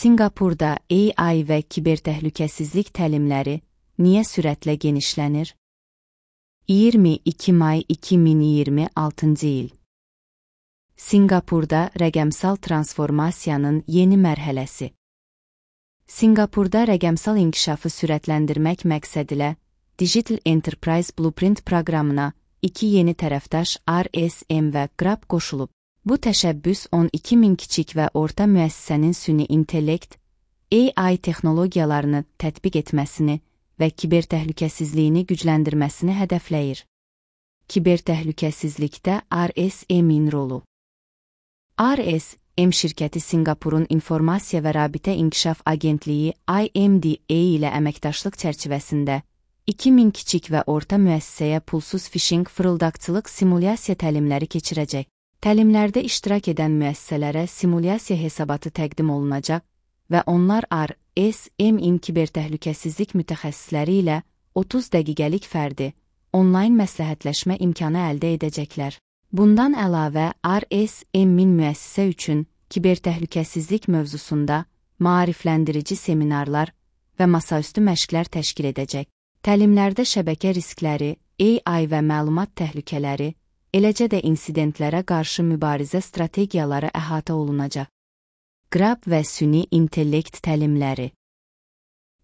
Sinqapurda AI və kibertəhlükəsizlik təlimləri niyə sürətlə genişlənir? 22 may 2026-cı il. Sinqapurda rəqəmsal transformasiyanın yeni mərhələsi. Sinqapurda rəqəmsal inkişafı sürətləndirmək məqsədilə Digital Enterprise Blueprint proqramına 2 yeni tərəfdaş RSM və GRAB qoşulub. Bu təşəbbüs 12 min kiçik və orta müəssisənin süni intellekt, AI texnologiyalarını tətbiq etməsini və kibertəhlükəsizliyini gücləndirməsini hədəfləyir. Kibertəhlükəsizlikdə RSM-in rolu. RSM şirkəti Sinqapurun İnformasiya və Rabitə İnkişaf Agentliyi IMDA ilə əməkdaşlıq çərçivəsində 2000 kiçik və orta müəssisəyə pulsuz phishing fırıldaqçılıq simulyasiya təlimləri keçirəcək. Təlimlərdə iştirak edən müəssisələrə simulyasiya hesabatı təqdim olunacaq və onlar RSM-in kibertəhlükəsizlik mütəxəssisləri ilə 30 dəqiqəlik fərdi, onlayn məsləhətləşmə imkanı əldə edəcəklər. Bundan əlavə, RSM-in müəssisə üçün kibertəhlükəsizlik mövzusunda maarifləndirici seminarlar və masaüstü məşqlər təşkil edəcək. Təlimlərdə şəbəkə riskləri, AI və məlumat təhlükələri, eləcə də insidentlərə qarşı mübarizə strategiyaları əhatə olunacaq. GRAB və süni intellekt təlimləri.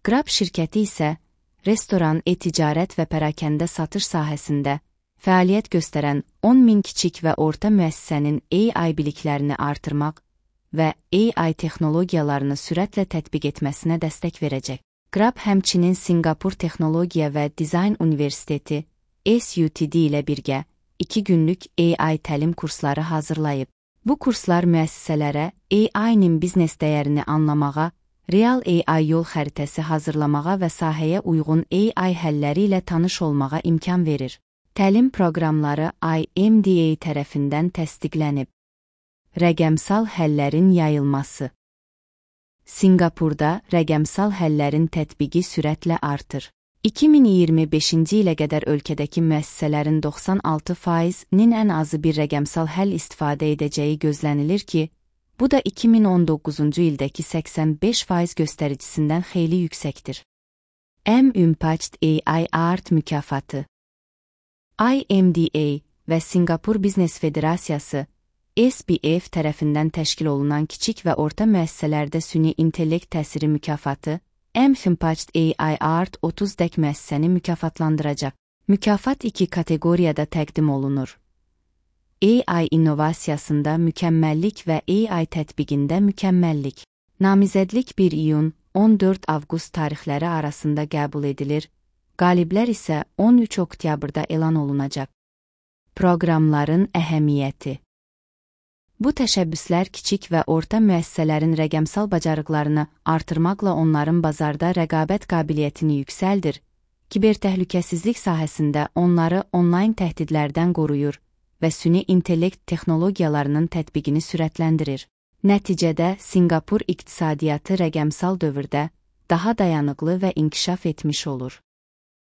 GRAB şirkəti isə restoran, e-ticarət və pərakəndə satış sahəsində fəaliyyət göstərən 10 min kiçik və orta müəssisənin AI biliklərini artırmaq və AI texnologiyalarını sürətlə tətbiq etməsinə dəstək verəcək. GRAB həmçinin Sinqapur Texnologiya və Dizayn Universiteti SUTD ilə birgə 2 günlük AI təlim kursları hazırlayıb. Bu kurslar müəssisələrə AI-nin biznes dəyərini anlamağa, real AI yol xəritəsi hazırlamağa və sahəyə uyğun AI həlləri ilə tanış olmağa imkan verir. Təlim proqramları IMDA tərəfindən təsdiqlənib. Rəqəmsal həllərin yayılması. Sinqapurda rəqəmsal həllərin tətbiqi sürətlə artır. 2025-ci ilə qədər ölkədəki müəssisələrin 96%-nin ən azı bir rəqəmsal həll istifadə edəcəyi gözlənilir ki, bu da 2019-cu ildəki 85% göstəricisindən xeyli yüksəkdir. M-Impact AI Art mükafatı. IMDA və Sinqapur Biznes Federasiyası SBF tərəfindən təşkil olunan kiçik və orta müəssisələrdə süni intellekt təsiri mükafatı M-Impact AI Art 30 dək müəssisəni mükafatlandıracaq. Mükafat 2 kateqoriyada təqdim olunur. AI innovasiyasında mükəmməllik və AI tətbiqində mükəmməllik. Namizədlik 1 iyun, 14 avqust tarixləri arasında qəbul edilir, qaliblər isə 13 oktyabrda elan olunacaq. Proqramların əhəmiyyəti. Bu təşəbbüslər kiçik və orta müəssisələrin rəqəmsal bacarıqlarını artırmaqla onların bazarda rəqabət qabiliyyətini yüksəldir, kibertəhlükəsizlik sahəsində onları onlayn təhdidlərdən qoruyur və süni intellekt texnologiyalarının tətbiqini sürətləndirir. Nəticədə Sinqapur iqtisadiyyatı rəqəmsal dövrdə daha dayanıqlı və inkişaf etmiş olur.